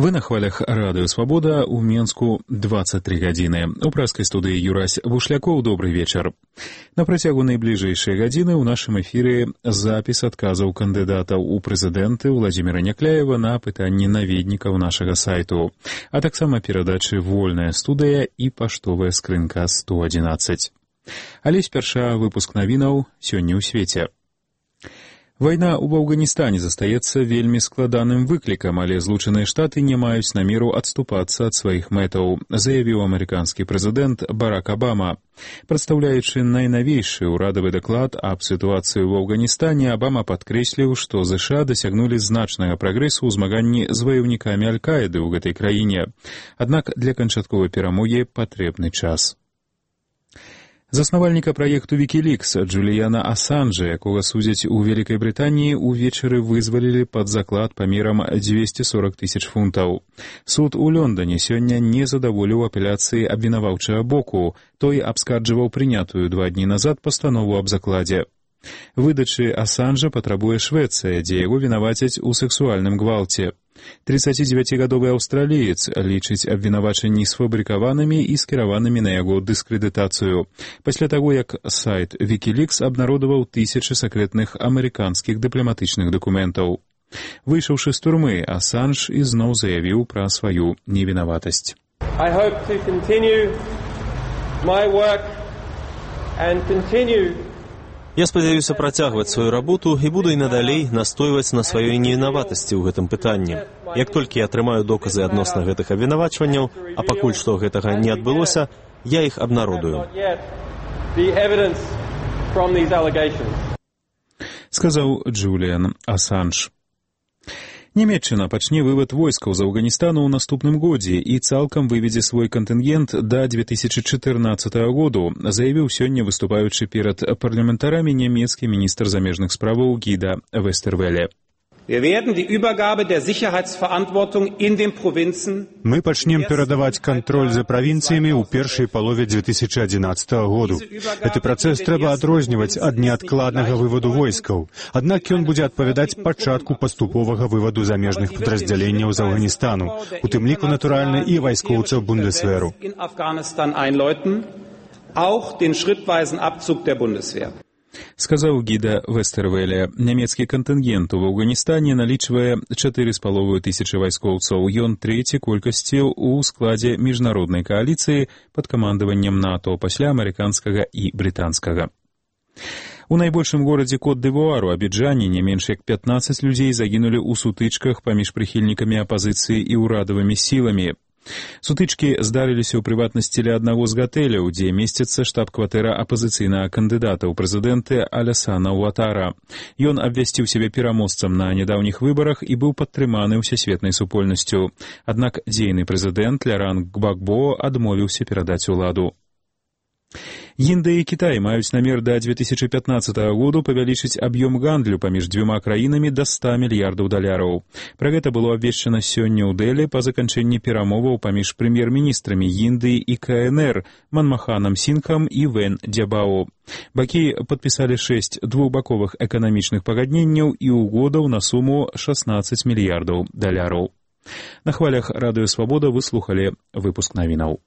Вы на хвалях Радыё Свабода, у Менску 23 гадзіны. У пражскай студыі Юрась Бушлякоў, добрый вечар. На працягу найбліжэйшай гадзіны ў нашым эфіры запіс адказаў кандыдатаў у прэзідэнты Владзіміра Някляева на пытанні наведнікаў нашага сайту, а таксама перадачы «Вольная студыя» і паштовая скрынка 111. Але спярша выпуск навінаў сёння ў свеце. Вайна ў Афганістане застаецца вельмі складаным выклікам, але Злучаныя Штаты не маюць намеру адступацца ад сваіх мэтаў, заявіў амерыканскі прэзідэнт Барак Абама. Прадстаўляючы найнавейшы ўрадавы даклад аб сітуацыі ў Афганістане, Абама падкрэсліў, што ЗША дасягнулі значнага прагрэсу ў змаганні з ваяўнікамі Аль-Каіды ў гэтай краіне. Аднак для канчатковай перамогі патрэбны час. Заснавальніка праекту «Вікілікс» Джуліяна Асанжа, якога судзяць у Вялікай Брытаніі, увечары вызвалілі пад заклад памерам 240 тысяч фунтаў. Суд у Лондоне сёння не задаволіў апеляцыі абвінаваўчага боку. Той абскарджваў прынятую 2 дні назад пастанову аб закладзе. Выдачы Асанжа патрабуе Швецыя, дзе яго вінавацяць у сэксуальным гвалце. 39-гадовы аўстраліец лічыць абвінавачанні сфабрыкаванымі і скіраванымі на яго дыскрэдытацыю. Пасля таго, як сайт «Вікілікс» абнародаваў тысячы сакрэтных амерыканскіх дыпламатычных дакументаў. Выйшаўшы з турмы, Асанж ізноў заявіў пра сваю невінаватасць. I hope to continue my work and continue. Я спадзяюся працягваць сваю работу і буду і надалей настойваць на сваёй невінаватасці ў гэтым пытанні. Як толькі я атрымаю доказы адносна гэтых абвінавачванняў, а пакуль што гэтага не адбылося, я іх абнародую. Сказаў Джуліян Асанж. Нямецчына пачне вывад войскаў з Афганістану ў наступным годзе і цалкам выведзе свой кантынгент да 2014 году, заявіў сёння выступаючы перад парламентарамі нямецкі міністр замежных справаў Гіда Вестервеле. Мы пачнем перадаваць кантроль за правінцыямі ў першай палове 2011 году. Гэты працэс трэба адрозніваць ад неадкладнага вываду войскаў. Аднак ён будзе адпавядаць пачатку паступовага вываду замежных падраздзяленняў з Афганістану, у тым ліку, натуральна, і вайскоўцаў Бундесверу. Сказаў Гіда Вестервеле. Нямецкі кантынгент у Афганістане налічвае 4,5 тысячы вайскоўцаў. Ён трэці колькасці ў складзе міжнароднай кааліцыі пад камандаваннем НАТО пасля амерыканскага і брытанскага. У найбольшым горадзе Кот-д'Івуару, Абіджане, не менш як 15 людзей загінулі ў сутычках паміж прыхільнікамі апазіцыі і ўрадавымі сіламі. Сутычкі здарыліся ў прыватнасці ля аднаго з гатэляў, дзе месціцца штаб-кватэра апазіцыйнага кандыдата ў прэзідэнты Алясана Уатара. Ён абвясціў сябе пераможцам на нядаўніх выбарах і быў падтрыманы ўсесветнай супольнасцю. Аднак дзейны прэзідэнт Ляранг Гбагбо адмовіўся перадаць уладу. Індыя і Кітай маюць намер да 2015 году павялічыць аб'ём гандлю паміж дзвюма краінамі да $100 мільярдаў. Пра гэта было абвешчана сёння ў Дэлі па заканчэнні перамоваў паміж прэм'ер-міністрамі Індыі і КНР Манмаханам Сінгхам і Вен Дзябао. Бакі падпісалі 6 двухбаковых эканамічных пагадненняў і угодаў на суму $16 мільярдаў. На хвалях Радыё Свабода вы слухалі выпуск навінаў.